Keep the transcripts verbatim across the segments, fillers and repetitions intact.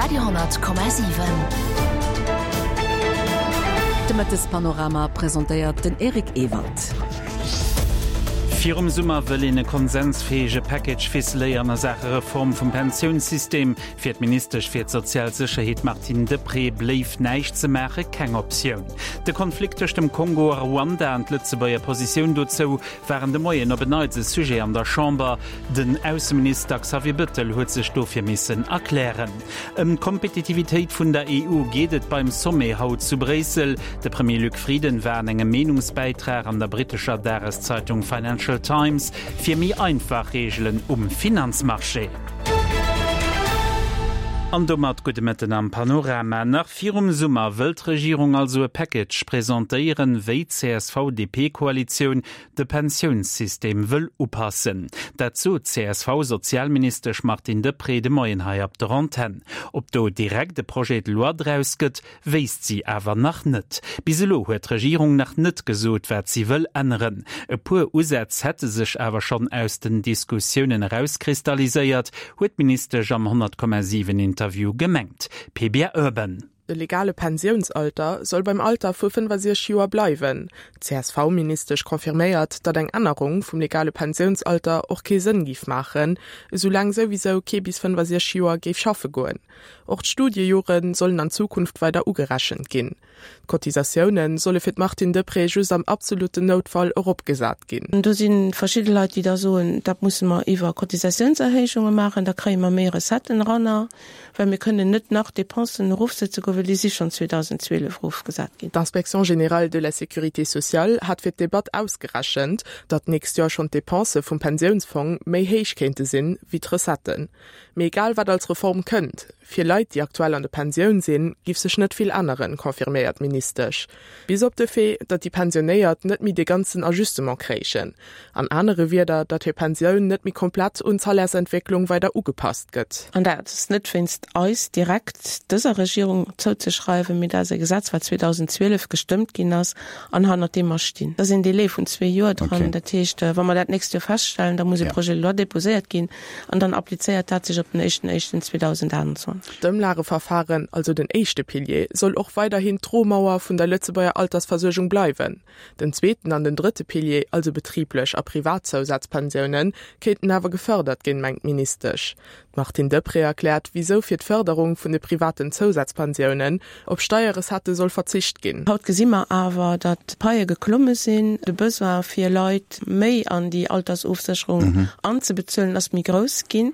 Radio honnert Komma siwen. De Mëttespanorama presentéiert den Eric Ewald. Virum Summer wëll een e konsensfäege Package ficeléieren a Saache Reform vum Pensiounssystem. Fir d'Ministesch fir d'sozial Sécherheet Martine Deprez bléif näischt ze maache keng Optioun. De Konflikt tëscht dem Kongo a Ruanda an d'Lëtzebuerger Positioun dozou waren de Moien op en Neits e Sujet an der Chamber. Den Ausseminister Xavier Bëttel huet sech dofir missen erklären. Ëm d'Kompetitivitéit vun der E U geet et beim Sommet haut zu Bréissel. De Premier Luc Frieden war an engem Meenungsbäitrag an der brittescher Dageszeitung Financial Times fir méi einfach Reegelen um Finanzmarché. An domat gudde Mëtten am Panorama. Nach virum Summer wëll d'Regierung also e Package presentéieren, wéi d'C S V-D P-Koalitioun de Pensiounssystem wëll upassen. Dat sot d'C S V-Sozialministesch Martine Deprez de Moien hei op der Antenn. Ob do direkt e Projet de loi draus gëtt, wéisst si awer nach net. Bis elo huet d'Regierung nach net gesot, wat si wëll änneren. E puer Usätz hätte sech awer schonn aus den Diskussiounen erauskristalliséiert, huet d'Ministesch am honnert Komma siwen Interview gemengt. P B R Urban. De legale Pensiounsalter soll beim Alter vu fënnefasechzeg Joer bleiwen. D'C S V-Ministesch confirméiert, datt eng Ännerung vum legale Pensiounsalter och kee Sënn géif maachen, esoulaang souwisou kee bis fënnefasechzeg Joer géif schaffe goen. Och d'Studiejore sollen an Zukunft weider ugerechent ginn. D'Cotisatioune solle fir d'Martine Deprez just am absolutten Noutfall eropgesat ginn. Do si verschidde Leit, déi da soen, dat musse mer iwwer Cotisatiounserhéijunge maachen, da kréie mer méi Recetten eran, well mir kënnen net nach Dépensen erofsetze goen, well déi si schonn zweedausendzwielef erofgesat ginn. D'Inspection générale de la sécurité sociale hat fir d'Debatt ausgerechent, datt d'nächst Joer schonn d'Depensë vum Pensiounsfong méi héich kéinte sinn wéi d'Recetten. Mee egal wat als Reform kënnt, fir Leit, déi aktuell an der Pensioun sinn, géif sech net vill änneren, confirméiert d'Ministesch. Bis op de Fait, datt déi Pensionéiert net méi de ganzen Ajustement kréichen. An anere Wierder, datt hir Pensioun net méi komplett un d'Salairsentwécklung weider ugepasst gëtt. An dat ass net wéinst eis direkt dëser Regierung zouzeschreiwen, mee dat ass e Gesetz, wat zweedausendzwielef gestëmmt ginn ass an hannert deem mer stinn. Da sinn Délai vun zwee Joer dran. Dat heescht, wa mer dat nächst Joer feststellen, da muss e Projet de loi deposéiert ginn an dann applizéiert dat sech op den éischten éischten zweedausendaachtundzwanzeg. D'Ëmlageverfaren, also den éischte Pilier, soll och weiderhin d'Dromauer vun der Lëtzebuerger Altersversuergung bleiwen. Den zweeten an den drëtte Pilier, also betriblech a privat Zousazpensiounen, kéinten awer gefërdert ginn, mengt d'Ministesch. D'Martine Deprez erkläert, wisou fir d'Fërderung vun de privaten Zousazpensiounen op Steierrecettë soll verzicht ginn. Haut gesi mer awer, datt d'Paie geklomme sinn, de Besoin fir Leit méi an déi Altersofsécherung anzebezuelen ass méi grouss ginn,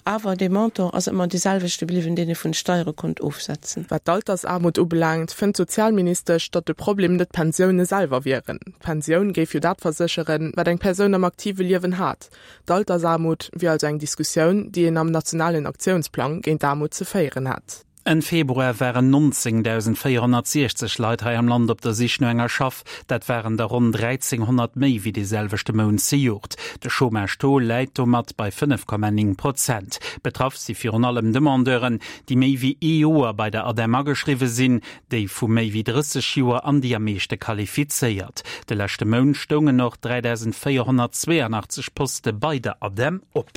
awer de Montant ass ëmmer dee selwechte bliwwen, deen ee vun de Steiere konnt ofsetzen. Wat d'Altersaarmut ubelaangt, fënnt d'Sozialministesch, datt de Problem net d'Pensioune selwer wieren. D'Pensioun géif jo dat versécheren, wat eng Persoun am aktive Liewen hat. D'Altersaarmut wier also eng Diskussioun, déi een am nationalen Aktiounsplang géint d'Aarmut ze féieren hätt. Enn Februar waren nonzéngdausendvéierhonnertsiechzeg Leit hei am Land op der Sich no enger Schaff. Dat waren der ronn dräizénghonnert méi wéi dee selwechte Mount zejoert. De Chômage-Taux läit domat bei fënnef Komma néng Prozent. Betraff si virun allem Demandeuren, déi méi wéi ee Joer bei der ADEM ageschriwwe sinn, déi vu méi wéi drësseg Joer an déi am meeschte qualifizéiert. De leschte Mount stoungen och dräidausendvéierhonnertzweeanachtzeg Poste bei der ADEM op.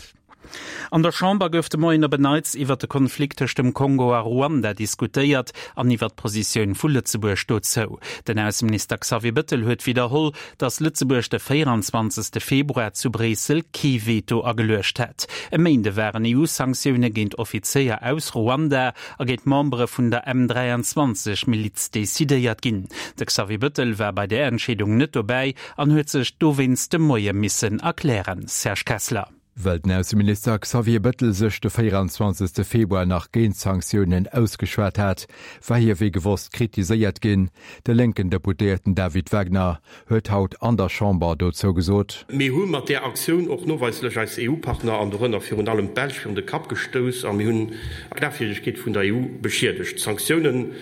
An der Chamber gouf de Moien op en Neits iwwer de Konflikt tëscht dem Kongo a Ruanda diskutéiert an iwwer d'Positioun vu Lëtzebuerg dozou. Den Ausseminister Xavier Bëttel huet widderholl, datt Lëtzebuerg de véierundzwanzegste Februar zu Bréissel kee Veto ageluecht hätt. E Méinde waren E U-Sanktioune géint Offizéier aus Ruanda a géint Membere vun der M dräianzwanzeg Miliz decidéiert ginn. De Xavier Bëttel war bei där Entscheedung net dobäi an huet sech dowéinst de Moie missen erklären. Serge Kessler. Well den Ausseminister Xavier Bëttel sech de véierundzwanzegste Februar nach géint Sanktiounen ausgeschwat hat, war hie wéi gewosst kritiséiert ginn. De lénken Deputéierten David Wagner huet haut an der Chamber dozou gesot: Mir hu mat där Aktioun och noweislech eis E U-Partner an dorënner virun allem d'Belsch virun de Kapp gestouss a mir hunn d'Glafwierdegkeet vun der E U beschiedegt. D'Sanktioune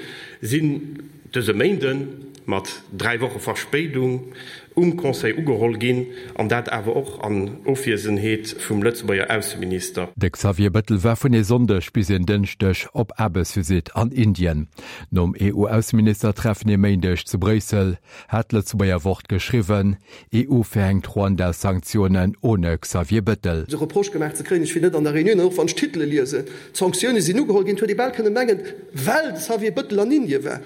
sinn dëse Méinden mat dräi Woche Verspéidung um Conseil ugeholl ginn, an dat awer och an Ofwiesenheet vum Lëtzebuerger Ausseminister. De Xavier Bettel war vun e Sonndeg bis en Dënschdeg op Aarbechtsvisitt an Indien. Nom EU-Ausseministertreffen e Méindeg zu Bréissel hat d'Lëtzebuerger Wort geschriwwen, EU verhängt Ruanda-Sanktionen ohne Xavier Bettel. De Reproche gemaach ze kréien, ech wier net an der Reunioun, an och wann ech d'Titele liesen, d'Sanktioune sinn ugeholl ginn, et huet ee bal kënne mengen, well de Xavier Bettel an Indien war.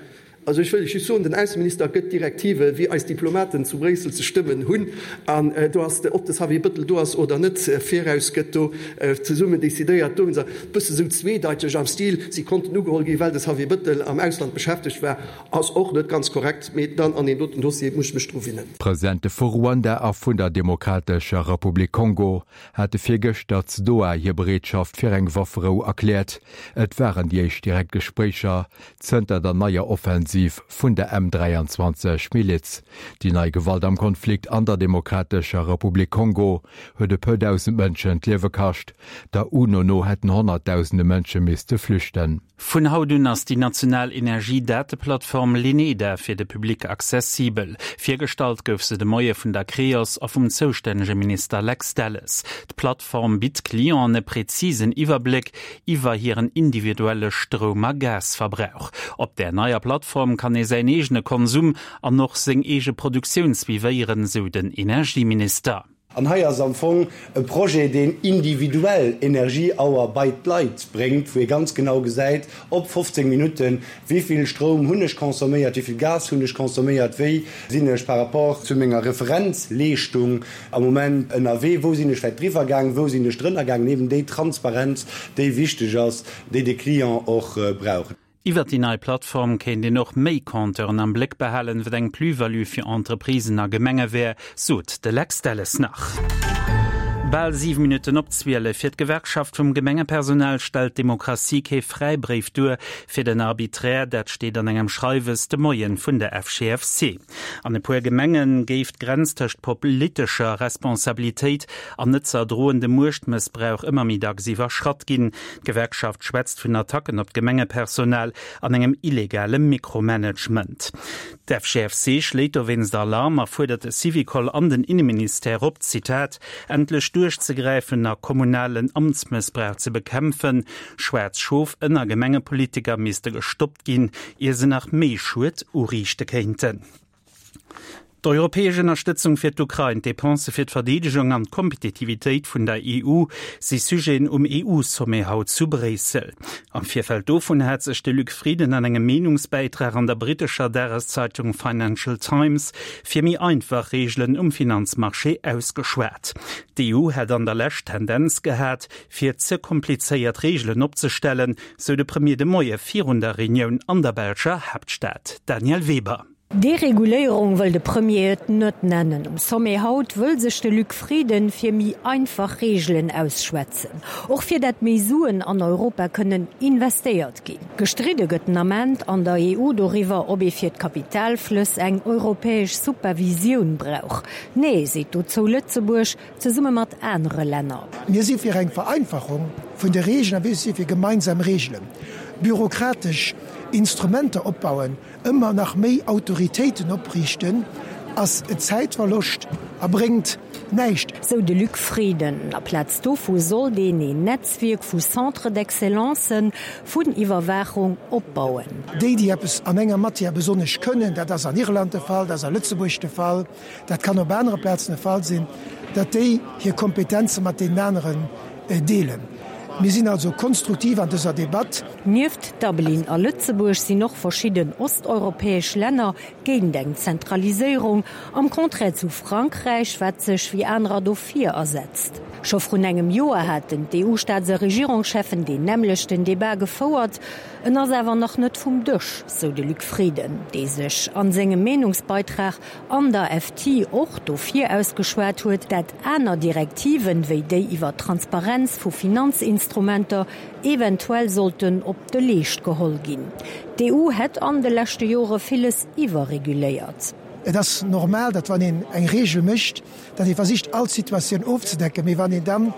Also ech wëll lech just soen, den Ausseminister gëtt Direktive wéi eis Diplomaten zu Bréissel ze stëmmen hunn, an do ass de, ob de Xavier Bettel do ass oder net, viraus gëtt do zesummen decidéiert. Do hunn se e bësse sou zweedeiteg am Stil, si konnten ugeholl ginn, well de Xavier Bettel am Ausland beschäftegt war, ass och net ganz korrekt, mee dann an deem doten Dossier muss ech mech dru winnen. D'Presidente vu Ruanda a vun der Demokratescher Republik Kongo hate virgëschter zu Doha hir Bereetschaft fir eng Wafferou erkläert. Et waren déi éischt direkt Gespréicher zënter der neier Offensiv vun der M dräianzwanzeg Miliz. Déi nei Gewalt am Konflikt an der Demokratescher Republik Kongo huet e puer dausend Mënschen d'Liewe kascht. Der UNO no hätten honnertdausende Mënsche misste flüchten. Vun haut un ass déi national Energiedateplattform LENEDA fir de Public accessibel. Virgestallt gouf se de Moie vun der Creos a vum zoustännege Minister Lex Delles. D'Plattform bitt Clienten e präzisen Iwwerbléck iwwer hiren individuelle Stroum a Gasverbrauch. Op där neier Plattform kann ee säin eegene Konsum an och seng eege Produktioun suivéieren, sou den Energieminister. An hei ass am Fong e Projet, deen individuell Energieauer bei d'Leit bréngt, wou ee ganz genau gesäit op fofzéng Minutten, wéi vill Stroum hunn ech consomméiert, wéi vill Gas hunn ech consomméiert, wéi sinn ech par rapport zu menger Referenzleeschtung am Moment ënnerwee, wou sinn ech vläicht driwwer gaang, wou sinn ech drënner gaangen, eben déi Transparenz, déi wichteg ass, déi de Client och brauch. Iwwert déi nei Plattform kéint een och méi Compteuren am Bléck behalen, wat eng Plus-value fir Entreprisen a Gemenge wär, sot de Lex Delles nach. Bal siwe Minutten op zwielef. Fir d'Gewerkschaft vum Gemengepersonal stellt d'Demokratie kee Fräibréif duer fir den Arbitraire, dat steet an engem Schreiwes de Moien vun der F G F C. An e puer Gemenge géif d'Grenz tëscht politescher Responsabilitéit an net ze erdroendem Muechtmëssbrauch ëmmer méi dacks iwwerschratt ginn. D'Gewerkschaft schwätzt vun Attacken op d'Gemengepersonal an engem illegale Mikromanagement. D'F G F C schléit dowéinst Alarm a fuerdert de Syvicol an den Inneministère op, Zitat, endlech duerchzegräifen a kommunalen Amtsmëssbrauch ze bekämpfen. Schwaarz Schof ënner Gemengepolitiker misste gestoppt ginn, ier se nach méi Schued uriichte kéinten. D'europäesch Ënnerstëtzung fir d'Ukrain, d'Depensë fir d'Verdeedegung an d'Kompetitivitéit vun der E U si Sujeten um E U-Sommet haut zu Bréissel. Am Virfeld dovun hat sech de Luc Frieden an engem Meenungsbäitrag an der brittescher Dageszeitung Financial Times fir méi einfach Reegelen um Finanzmarché ausgeschwat. D'E U hätt an der Lescht d'Tendenz gehat, fir ze komplizéiert Reegelen opzestellen, sou de Premier de Moie virun der Reunioun an der belscher Haaptstad. Danièle Weber. Dereguléierung wëll de Premier et net nennen. Um Sommet haut wëll sech de Luc Frieden fir méi einfach Reegelen ausschwätzen. Och fir dat méi Suen an Europa kënnen investéiert ginn. Gestridde gëtt den Ament an der E U doriwwer, ob ee fir d'Kapitalflëss eng europäesch Supervisioun brauch. Nee, seet dozou Lëtzebuerg, zesumme mat anere Länner. Mir si fir eng Vereinfachung vun de Reegelen a mir si fir gemeinsam Reegelen. Bürokratesch Instrumenter opbauen, ëmmer nach méi Autoritéiten opriichten, ass Zäitverloscht a bréngt näischt. Sou de Luc Frieden. Aplaz dovu sollt een een Netzwierk vu Centres d'excellence vun Iwwerwaachung opbauen. Déi, déi eppes an enger Matière besonnesch kënnen, dat ass an Irland de Fall, dat ass a Lëtzebuerg de Fall, dat kann op anere Plazen de Fall sinn, datt déi hir Kompetenze mat deenen aneren deelen. Mir sinn also konstruktiv an dëser Debatt. Nieft Dublin a Lëtzebuerg sinn och verschidden osteuropäesch Länner géint eng Zentraliséierung, am Contraire zu Frankräich, wat sech wéi anerer dofir asetzt. Scho vrun engem Joer haten d'E U-Staats a Regierungscheffen deen nämmlechten Debat gefouert, en ass awer nach net vum Dësch, sou de Luc Frieden, dee sech an sengem Meenungsbeitrag an der F T och dofir ausgeschwat huet, dat aner Direktiven, wéi déi iwwer d'Transparenz vu Finanzinstrumenter, eventuell sollten op de Leescht geholl ginn. D'E U hätt an de leschte Jore villes iwwerreguléiert. Et ass normal, datt wann een eng Reegel mécht, datt ee versicht all Situatioun ofzedecken, mee wann een dann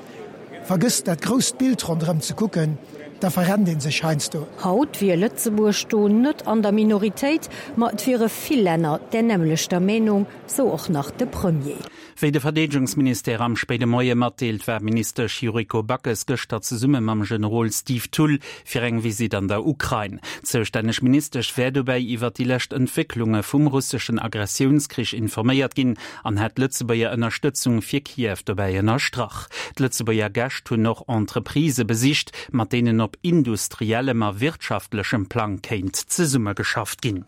vergësst dat grousst Bild ronderëm ze kucken, da verrennt ee sech heiansdo. Haut wier Lëtzebuerg do net an der Minoritéit, ma et wiere vill Länner där nämmlechter Meenung, sou och nach de Premier. Wéi de Verdeedegungsministère am spéide Moie matdeelt, war d'Ministesch Yuriko Backes gëschter zesumme mam Generol Steve Thull fir eng Visitt an der Ukrain. D'zoustänneg Ministesch wär dobäi iwwer déi lescht Entwécklunge vum russeschen Agressiounskrich informéiert ginn an hätt d'Lëtzebuerger Ënnerstëtzung fir Kiew dobäi ënnerstrach. D'Lëtzebuerger Gäscht hunn och Entreprisë besicht, mat deenen op industriellem a wirtschaftlechem Plang kéint zesummegeschafft ginn.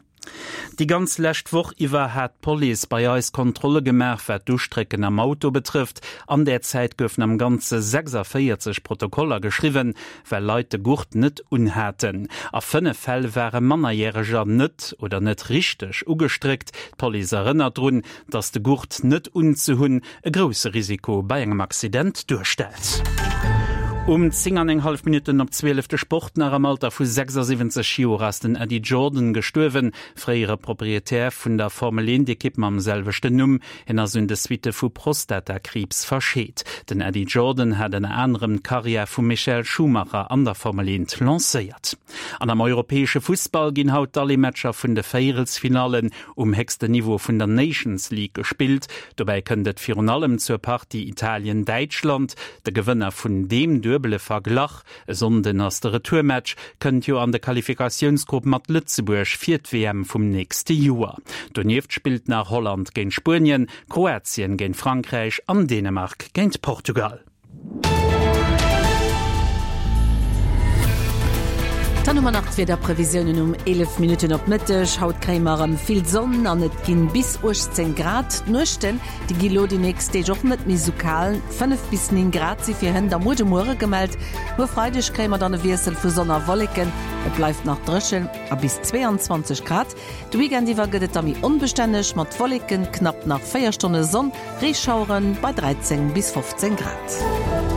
Déi ganz lescht Woch iwwer hat d'Police bei eis Kontrolle gemaach, wat d'Ustrécken am Auto betrëfft. An där Zäit goufen am Ganze sechsundvéierzeg Protokoller geschriwwen, well Leit de Gurt net unhaten. A fënnef Fäll ware Mannerjäreger net oder net richteg ugestréckt. D'Police erënnert drun, dass de Gurt net unzehunn e grousse Risiko bei engem Accident duerstellt. Um zéng an eng hallef Minutten op zwielef de Sport nach, Am Alter vu sechsundsiwwenzeg Joer ass den Eddie Jordan gestuerwen, fréiere Proprietär vun der Formel eent Ekipp mam selwechten Numm. Hien ass un de Suitte vu Prostatakriibs verscheet. Den Eddie Jordan hat ënner anerem d'Karriär vum Michael Schumacher an der Formel eent lancéiert. An am europäesche Fussball ginn haut d'Alleematcher vun de Véierelsfinallen um héchsten Niveau vun der Nations League gespillt. Dobäi kënnt et virun allem zur Partie Italien-Däitschland. De Gewënner vun deem duebele Verglach, e Sonnden ass de Retourmatch, kënnt jo an de Qualifikatiounsgrupp mat Lëtzebuerg fir d'W M vum nächste Joer. Donieft spillt nach Holland géint Spuenien, Kroatien géint Frankräich an Dänemark géint Portugal. Dann hu mer nach d'Wiederprevisiounen um eelef Minutten op Mëtteg. Haut kréie mer erëm vill Sonn an et ginn bis uechtzéng Grad. D'Nuechten, déi gi lo déi nächst Deeg och net méi sou kal, fënnef bis néng Grad si fir hënt a muer de Muere gemellt. Muer Freideg kréie mer dann e Wiessel vu Sonn a Wolleken, et bleift nach dréchen a bis zweeanzwanzeg Grad. De Weekend iwwer gëtt et da méi onbestänneg mat Wolleken, knapp nach véier Stonne Sonn, Reeschauere bei dräizéng bis fofzéng Grad.